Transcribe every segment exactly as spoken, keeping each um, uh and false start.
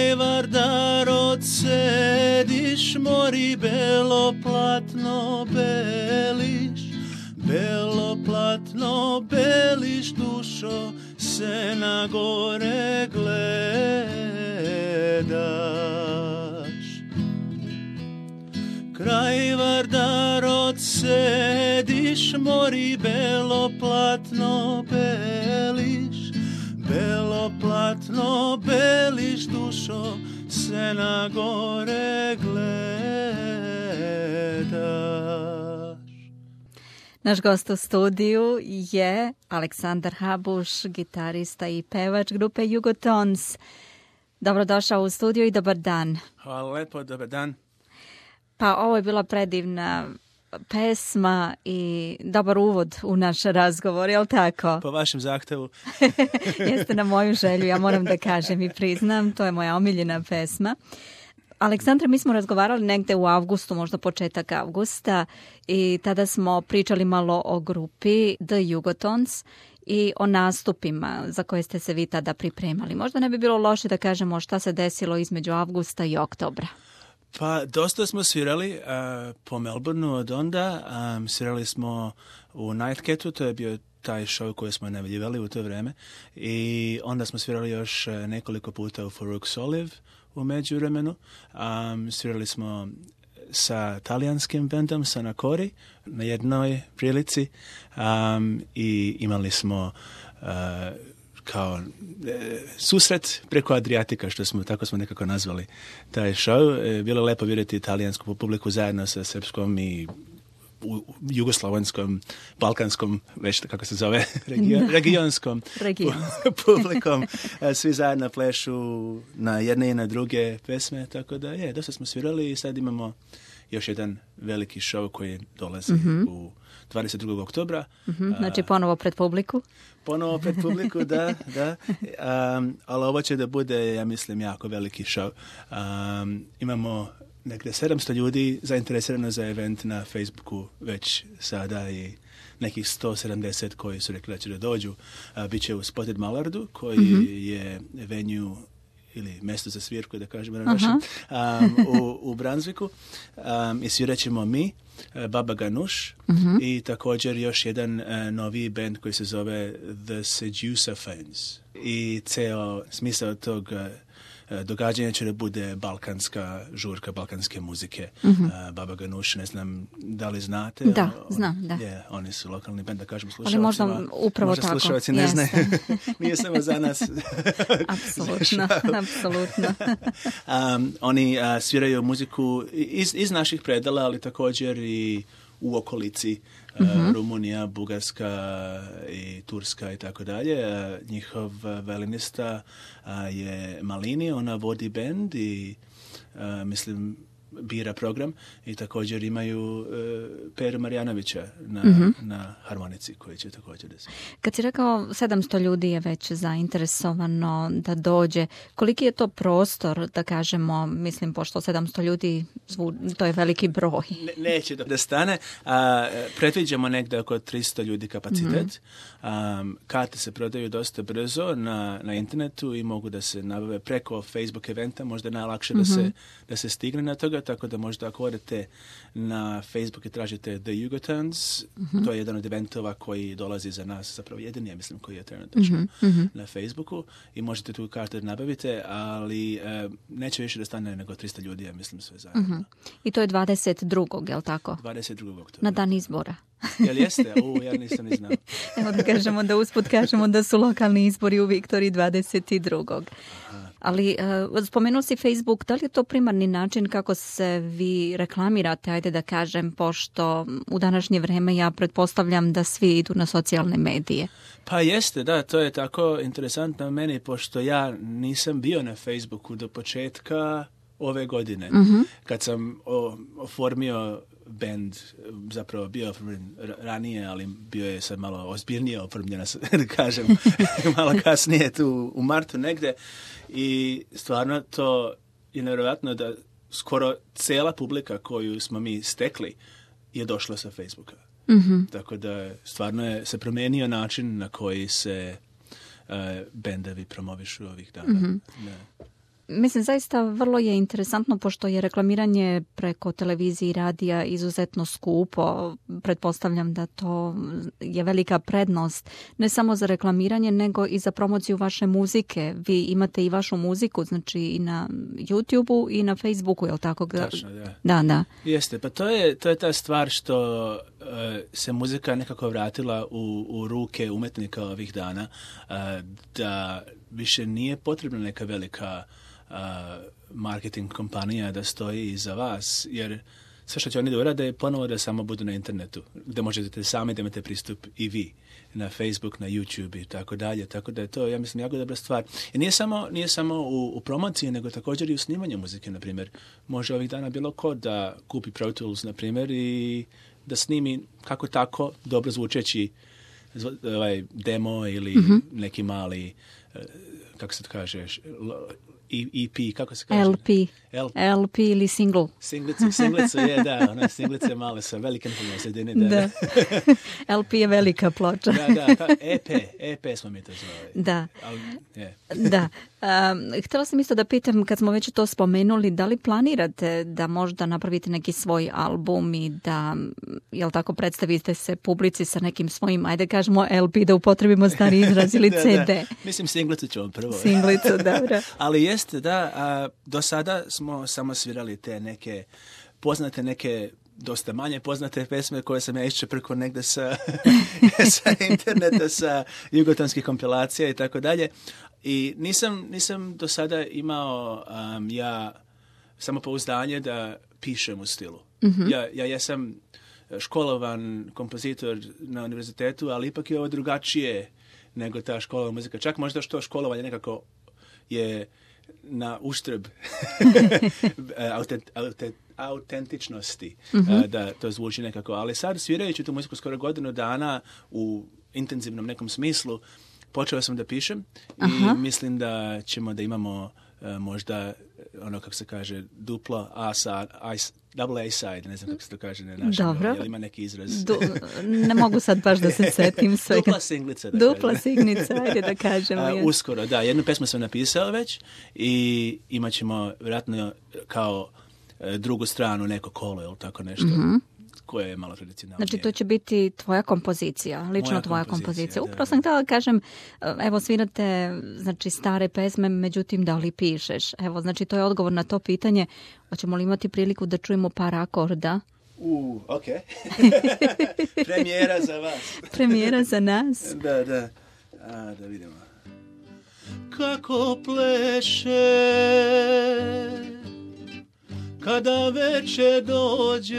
Kraj Vardarod sediš, mori belo platno beliš, belo platno beliš, dušo se na gore gledaš. Kraj Vardarod sediš, mori belo platno beliš, belo platno beliš, dušo se na gore gledaš. Naš gost u studiju je Aleksandar Habuš, gitarista i pevač grupe Jugotons. Dobrodošao u studiju i dobar dan. Hvala lepo, dobar dan. Pa ovo je bila predivna pesma i dobar uvod u naš razgovor, je li tako? Po vašem zahtevu. Jeste na moju želju, ja moram da kažem i priznam, to je moja omiljena pesma. Aleksandra, mi smo razgovarali negde u avgustu, možda početak avgusta, i tada smo pričali malo o grupi The Jugotons i o nastupima za koje ste se vi tada pripremali. Možda ne bi bilo loše da kažemo šta se desilo između avgusta i oktobra. Pa dosta smo svirali uh, po Melbourneu od onda. Um, svirali smo u Nightcatu, to je bio taj show koji smo najavljivali u to vreme. I onda smo svirali još uh, nekoliko puta u Farouk Soliv u međuvremenu. Um, svirali smo sa talijanskim bendom, sa Nakori, na jednoj prilici. Um, I imali smo uh, kao e, susret preko Adriatika, što smo, tako smo nekako nazvali taj show. E, bilo je lepo vidjeti italijansku publiku zajedno sa srpskom i u, jugoslovenskom, balkanskom, već kako se zove, region, regionskom publikom. E, svi zajedno plešu na jedne i na druge pesme, tako da je, dosta smo svirali i sad imamo još jedan veliki show koji dolazi mm-hmm. u dvadeset drugog oktobra. Mm-hmm. Znači ponovo pred publiku? Ponovo pred publiku, da, da. Um, ali ovo će da bude, ja mislim, jako veliki show. Um, imamo negde sedamsto ljudi zainteresirano za event na Facebooku već sada i nekih sto sedamdeset koji su rekli da će da dođu. Uh, Biće u Spotted Mallardu, koji mm-hmm. je venue ili mjesto za svirku, da kažemo na našem, um, u, u Brunswicku. Um, I svirat ćemo mi, uh, Baba Ganush, uh-huh. i također još jedan uh, novi band koji se zove The Seducaphones. I ceo smisao tog uh, događanja će da bude balkanska žurka, balkanske muzike. Uh-huh. Uh, Baba Ganush, ne znam da li znate. Da, on, znam, da. Je, oni su lokalni band, da kažemo slušalcima. Ali možda upravo možda tako. Možda slušalci ne znaju. Nije samo za nas. Apsolutno, apsolutno. um, oni uh, sviraju muziku iz, iz naših predala, ali također i u okolici. Uh, mm-hmm. Rumunija, Bugarska i Turska i tako dalje. Uh, njihov violinista uh, je Malini, ona vodi bend i uh, mislim bira program i također imaju uh, Peru Marjanovića na, mm-hmm. na harmonici koji će također da se... Kad si rekao sedamsto ljudi je već zainteresovano da dođe, koliki je to prostor, da kažemo, mislim, pošto sedamsto ljudi, zvu, to je veliki broj. Ne, neće da, da stane. A, predviđamo negde oko tristo ljudi kapacitet. Mm-hmm. Um, karte se prodaju dosta brzo na, na internetu i mogu da se nabave preko Facebook eventa, možda najlakše mm-hmm. da, se, da se stigne na toga, tako da možda ako odete na Facebook i tražite The Jugotons, mm-hmm. to je jedan od eventova koji dolazi za nas, zapravo jedini, ja mislim, koji je trenutno mm-hmm. na Facebooku i možete tu kartu nabavite, ali e, neće više da stane nego tristo ljudi, ja mislim, sve zajedno. Mm-hmm. I to je dvadeset drugog, je li tako? dvadeset drugog oktobra. Na dan izbora. Jel jeste? U, ja nisam ni znao. Evo da kažemo, da usput kažemo da su lokalni izbori u Viktoriji dvadeset drugog. Aha. Ali uh, spomenuo si Facebook, da li je to primarni način kako se vi reklamirate, ajde da kažem, pošto u današnje vreme ja pretpostavljam da svi idu na socijalne medije? Pa jeste, da, to je tako interesantno meni, pošto ja nisam bio na Facebooku do početka ove godine. Mm-hmm. Kad sam o, oformio band, zapravo bio oformljen ranije, ali bio je sad malo ozbiljnije oformljena, da kažem, malo kasnije tu u martu negde. I stvarno to je nevjerojatno da skoro cela publika koju smo mi stekli je došla sa Facebooka. Mm-hmm. Tako da stvarno je se promijenio način na koji se uh, bendovi promovišu ovih dana. Mm-hmm. Mislim, zaista vrlo je interesantno, pošto je reklamiranje preko televizije i radija izuzetno skupo. Pretpostavljam da to je velika prednost, ne samo za reklamiranje, nego i za promociju vaše muzike. Vi imate i vašu muziku, znači i na YouTubeu i na Facebooku, je li tako? Tačno, da. Da, da. Jeste, pa to je, to je ta stvar što uh, se muzika nekako vratila u, u ruke umetnika ovih dana, uh, da više nije potrebna neka velika uh, marketing kompanija da stoji iza vas, jer sve što će oni da urade je ponovo da samo budu na internetu, gde možete sami da imate pristup i vi, na Facebook, na YouTube i tako dalje, tako da je to, ja mislim, jako dobra stvar. I nije samo, nije samo u, u promociji, nego također i u snimanju muzike, na primjer. Može ovih dana bilo ko da kupi Pro Tools, na primjer, i da snimi kako tako dobro zvučeći ovaj, demo ili mm-hmm. neki mali, kako se to kaže, E P, kako se kaže? L P. L P, L P ili single. Singlice, singlice je, da, one singlice male sa velikim na sredini. Da. da. L P je velika ploča. da, da, pa E P, E P smo mi to zvali. Da. Ali, yeah. da. Um, htjela sam isto da pitam, kad smo već to spomenuli, da li planirate da možda napravite neki svoj album i da, jel tako, predstavite se publici sa nekim svojim, ajde kažemo L P, da upotrebimo stari izraz, ili da, C D? Da. Mislim, singlicu ćemo prvo. Singlicu, dobro. Ali jeste, da, a, do sada smo samo svirali te neke, poznate neke, dosta manje poznate pesme koje sam ja iščeprko negde sa, sa interneta, sa jugotonskih kompilacija i tako dalje. I nisam, nisam do sada imao um, ja samopouzdanje da pišem u stilu. Mm-hmm. Ja, ja jesam školovan kompozitor na univerzitetu, ali ipak je ovo drugačije nego ta škola muzika. Čak možda što školovanje nekako je na uštrb autent, autent, autentičnosti, mm-hmm. da to zvuči nekako. Ali sad, svirajući tu muziku skoro godinu dana u intenzivnom nekom smislu, počeo sam da pišem. Aha. I mislim da ćemo da imamo uh, možda ono, kako se kaže, duplo A-side, double A-side, ne znam kako se to kaže na našem. Dobro. Jel ima neki izraz? Du, ne mogu sad baš da se setim svega. Dupla singlica. Da Dupla singlica, ajde da kažemo. Uh, uskoro, da. Jednu pesmu sam napisao već i imat ćemo vjerojatno kao uh, drugu stranu neko kolo ili tako nešto. Mm-hmm. Koje je malo tradicionalnije. Znači, to će biti tvoja kompozicija, lično Moja tvoja kompozicija. kompozicija. Da, Upravo sam htjela da kažem, evo, svirate, znači, stare pesme, međutim, da li pišeš? Evo, znači, to je odgovor na to pitanje. Hoćemo li imati priliku da čujemo par akorda? U, ok. Premijera za vas. Premijera za nas. Da, da. A, da vidimo. Kako pleše kada večer dođe.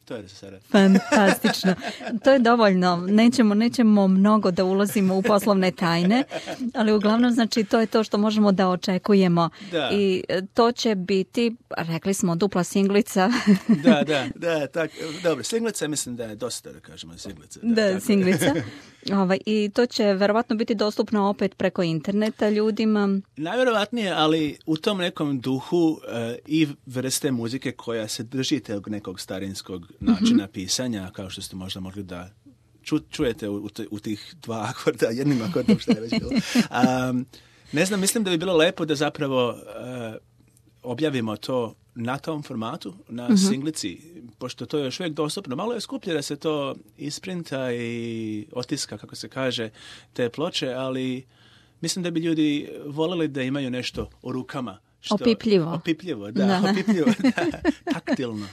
To je sada. Fantastično. To je dovoljno. Nećemo, nećemo mnogo da ulazimo u poslovne tajne, ali uglavnom, znači, to je to što možemo da očekujemo. Da. I to će biti, rekli smo, dupla singlica. da, da, da, tak, dobro, singlica mislim da je dosta, da kažemo, singlica. Da, da singlica. Ovaj, i to će verovatno biti dostupno opet preko interneta ljudima. Najverovatnije, ali u tom nekom duhu uh, i vrste muzike koja se drži tog nekog starinskog načina mm-hmm. pisanja, kao što ste možda mogli da ču, čujete u, u tih dva akorda, jednim akordom što je već bilo. Um, ne znam, mislim da bi bilo lepo da zapravo uh, objavimo to na tom formatu, na mm-hmm. singlici, pošto to je još uvijek dostupno. Malo je skuplje da se to isprinta i otiska, kako se kaže, te ploče, ali mislim da bi ljudi voljeli da imaju nešto u rukama. Što, opipljivo. Opipljivo, da, da. opipljivo, da, taktilno.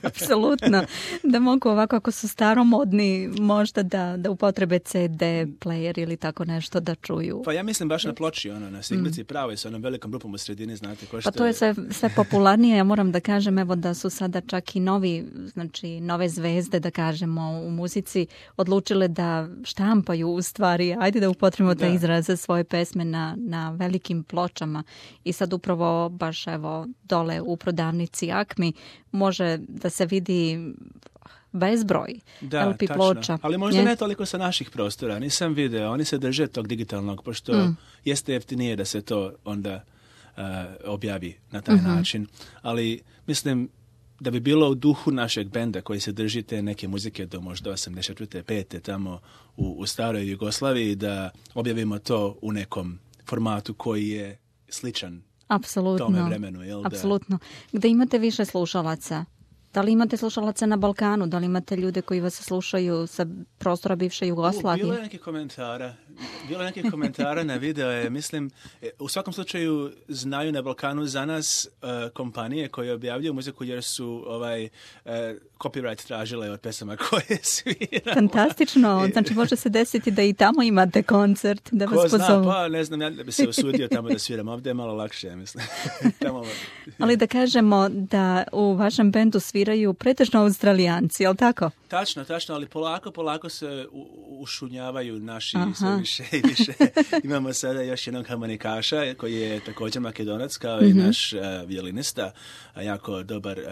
Apsolutno. Da mogu ovako, ako su staromodni, možda da, da upotrebe C D player ili tako nešto da čuju. Pa ja mislim baš na ploči, ono, na singlici mm. pravo, sa onom velikom grupom u sredini, znate. Ko što pa to je sve, sve popularnije, ja moram da kažem, evo da su sada čak i novi, znači nove zvezde, da kažemo, u muzici odlučile da štampaju u stvari, ajde da upotrebimo taj izraz za svoje pesme na, na velikim pločama. I sad upravo baš evo dole u prodavnici Akmi može da se vidi bezbroj da, L P ploča. Ali možda je? ne toliko sa naših prostora. Nisam video, oni se drže tog digitalnog, pošto mm. jeste jeftinije da se to onda uh, objavi na taj mm-hmm. način. Ali mislim da bi bilo u duhu našeg benda koji se drži te neke muzike do možda osamdeset pete tamo u, u staroj Jugoslaviji, da objavimo to u nekom formatu koji je sličan Apsolutno. tome vremenu. Jel, Apsolutno. Gde imate više slušalaca? Da li imate slušalaca na Balkanu? Da li imate ljude koji vas slušaju sa prostora bivše Jugoslavije? U, bilo je nekih komentara. Bilo je nekih komentara na video. Mislim, u svakom slučaju znaju na Balkanu za nas uh, kompanije koje objavljuju muziku jer su ovaj uh, copyright tražile od pesama koje sviramo. Fantastično. Znači može se desiti da i tamo imate koncert. Da Ko vas zna, pozovu. pa ne znam, ja da bi se usudio tamo da sviram. Ovdje je malo lakše, mislim. Tamo... Ali da kažemo da u vašem bendu sviraju pretežno Australijanci, jel tako? Tačno, tačno, ali polako, polako se u, ušunjavaju naši Aha. sve više i više. Imamo sada još jednog harmonikaša koji je također Makedonac kao mm-hmm. i naš uh, violinista, a jako dobar uh,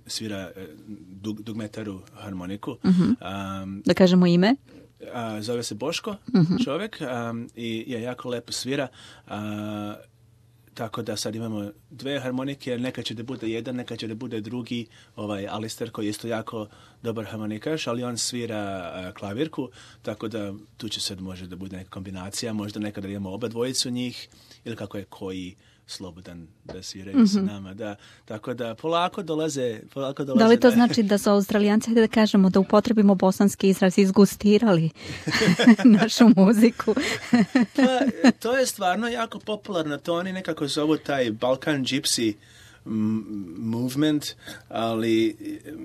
svira uh, dug, dugmetaru harmoniku. Mm-hmm. Um, da kažemo ime? Uh, zove se Boško, mm-hmm. čovjek, um, i je jako lepo svira. Uh, Tako da sad imamo dve harmonike, neka će da bude jedan, neka će da bude drugi, ovaj Alister koji je isto jako dobar harmonikaš, ali on svira uh, klavirku, tako da tu će sad može da bude neka kombinacija, možda nekada imamo oba dvojicu njih, ili kako je koji slobodan da sviraju mm-hmm. s nama, da. Tako da polako dolaze, polako dolaze. Da li to da... znači da su Australijanci, hajde da kažemo, da upotrebimo bosanski izraz, izgustirali našu muziku? Pa, to je stvarno jako popularno, to oni nekako zovu taj Balkan Gypsy movement, ali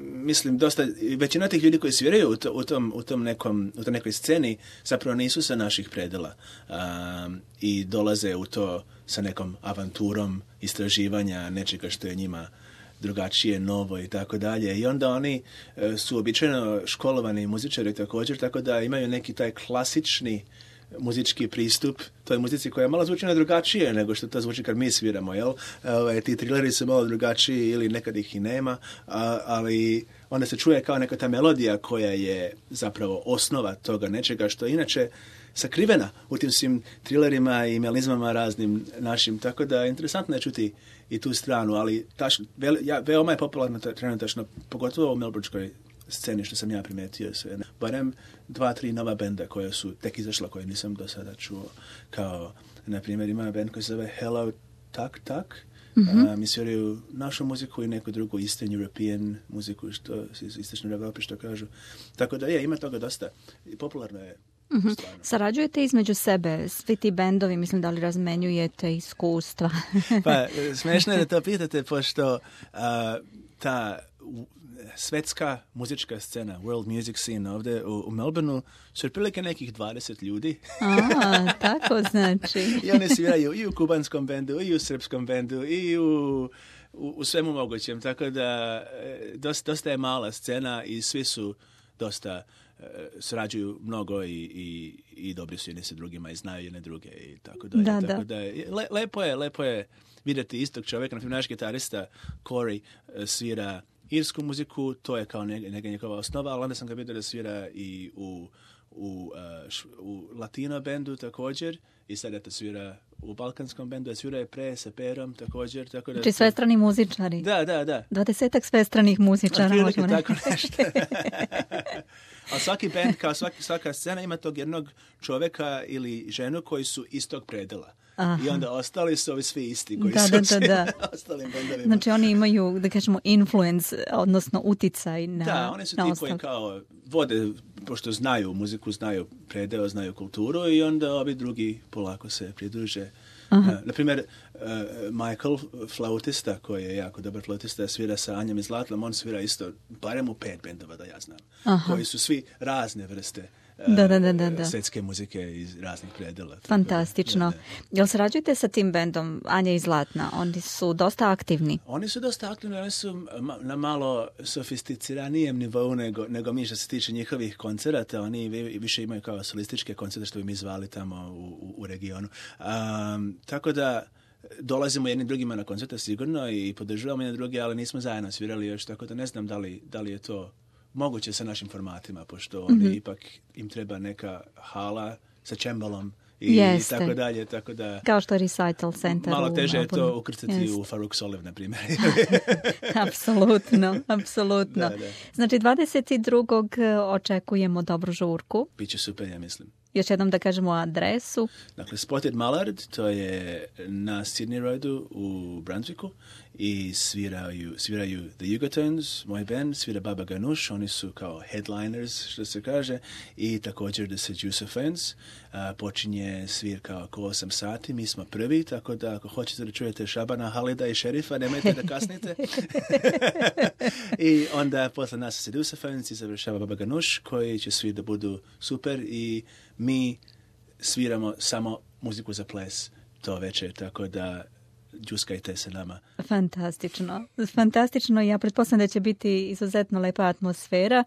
mislim dosta, većina tih ljudi koji sviraju u, to, u, tom, u, tom nekom, u tom nekoj sceni zapravo nisu sa naših predela um, i dolaze u to sa nekom avanturom istraživanja nečega što je njima drugačije, novo i tako dalje. I onda oni uh, su običajno školovani muzičari također, tako da imaju neki taj klasični muzički pristup toj muzici koja malo zvuči drugačije nego što to zvuči kad mi sviramo, jel? Ove, ti trileri su malo drugačiji ili nekad ih i nema, a, ali onda se čuje kao neka ta melodija koja je zapravo osnova toga nečega što je inače sakrivena u tim svim trilerima i melizmama raznim našim, tako da je interesantno je čuti i tu stranu, ali taš, ve, ja, veoma je popularno trenutačno, pogotovo u melbourneskoj sceni što sam ja primetio sve. Barem dva, tri nova benda koja su tek izašla, koje nisam do sada čuo. Kao, na primjer, ima band koji se zove Hello Tak Tak. Mm-hmm. Uh, mi sviraju našu muziku i neku drugu Eastern European muziku, što iz Istočne Evrope, što kažu. Tako da je, ima toga dosta. I popularno je. Mm-hmm. Sarađujete između sebe, svi ti bendovi, mislim da li razmenjujete iskustva? Pa, smiješno je da to pitate, pošto uh, ta svetska muzička scena, world music scene ovdje u, u Melbourneu su otprilike nekih dvadeset ljudi. A, tako znači. I oni sviraju i u kubanskom bendu, i u srpskom bendu, i u, u, u svemu mogućem. Tako da dosta, dosta je mala scena i svi su dosta srađuju mnogo i, i, i dobri su jedni sa drugima i znaju jedne druge i tako dalje. Da, tako da. da le, lepo je, lepo je vidjeti istog čovjeka. Na primjer, naš gitarista Corey svira irsku muziku, to je kao neka, neka njegova osnova, ali onda sam ga vidio da svira i u, u, uh, š, u latino bendu također i sad eto svira u balkanskom bendu, a svira je pre sa Perom također. Tako da, znači svestrani muzičari. Da, da, da. Dvadesetak svestranih muzičara. Otprilike tako nešto. A svaki bend, kao svaki, svaka scena ima tog jednog čovjeka ili ženu koji su istog predela. Aha. I onda ostali su ovi svi isti koji da, su da, da, da. ostalim bendovima. Znači oni imaju, da kažemo, influence, odnosno uticaj na Da, oni su ti koji kao vode, pošto znaju muziku, znaju predeo, znaju kulturu i onda ovi drugi polako se pridruže. Uh, naprimjer, uh, Michael, flautista, koji je jako dobar flautista, svira sa Anjom iz Latlam, on svira isto, barem u pet bendova da ja znam, Aha. koji su svi razne vrste da, da, da, da, da. svetske muzike iz raznih predela. Fantastično. Da, da. Jel sarađujete sa tim bendom Anja iz Zlatna? Oni su dosta aktivni. Oni su dosta aktivni, oni su na malo sofisticiranijem nivou nego, nego mi što se tiče njihovih koncerata. Oni više imaju kao solističke koncerte što bi mi zvali tamo u, u, u regionu. Um, tako da dolazimo jednim drugima na koncerte sigurno i podržavamo jedne druge, ali nismo zajedno svirali još, tako da ne znam da li, da li je to moguće sa našim formatima, pošto oni mm-hmm. ipak im treba neka hala sa čembalom i, i tako dalje, tako da... Kao što je Recital Center. Malo teže je to ukrcati Jeste. u Faruk Soliv, na primjer. Apsolutno, apsolutno. Da, da. Znači, dvadeset drugog očekujemo dobru žurku. Biće super, ja mislim. Još jednom da kažemo adresu. Dakle, Spotted Mallard, to je na Sydney Roadu u Brunswicku i sviraju, sviraju The Yugotones, moj band, svira Baba Ganoush, oni su kao headliners, što se kaže, i također The Seducers. Uh, počinje svirka oko osam sati, mi smo prvi, tako da ako hoćete da čujete Šabana, Halida i Šerifa, nemojte da kasnite. I onda posle nas Seducers i završava Baba Ganoush, koji će svi da budu super i mi sviramo samo muziku za ples to večer, tako da džuskajte se nama. Fantastično. Fantastično. Ja pretpostavljam da će biti izuzetno lepa atmosfera.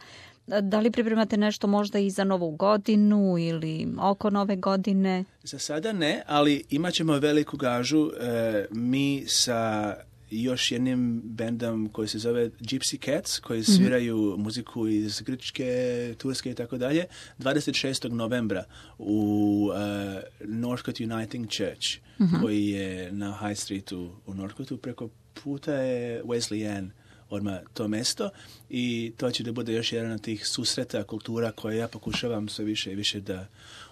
Da li pripremate nešto možda i za Novu godinu ili oko Nove godine? Za sada ne, ali imat ćemo veliku gažu. E, mi sa još jednim bendom koji se zove Gypsy Cats, koji sviraju mm-hmm. muziku iz Grčke, Turske i tako dalje, dvadeset šestog novembra u uh, Northcote Uniting Church, mm-hmm. koji je na High Streetu u Northcote, preko puta je Wesleyan, odmah to mesto, i to će da bude još jedan od tih susreta kultura koje ja pokušavam sve više i više da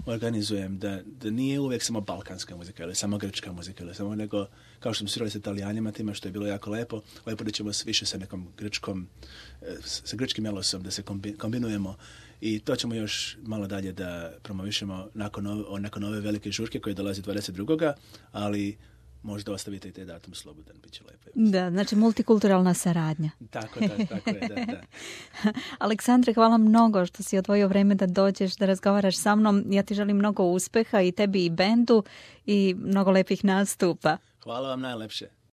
organizujem, da, da nije uvijek samo balkanska muzika ili samo grčka muzika ili samo nego, kao što smo svirali sa Italijanima tima, što je bilo jako lepo, ovaj put ćemo više sa nekom grčkom, sa grčkim melosom da se kombinujemo i to ćemo još malo dalje da promovišemo nakon ove, nakon ove velike žurke koje dolazi dvadeset drugog ali možda ostavite i taj datum slobodan, bit će lepo. Da, znači multikulturalna saradnja. Tako, da, tako je, da, da. Aleksandre, hvala mnogo što si odvojio vreme da dođeš, da razgovaraš sa mnom. Ja ti želim mnogo uspeha i tebi i bendu i mnogo lepih nastupa. Hvala vam najlepše.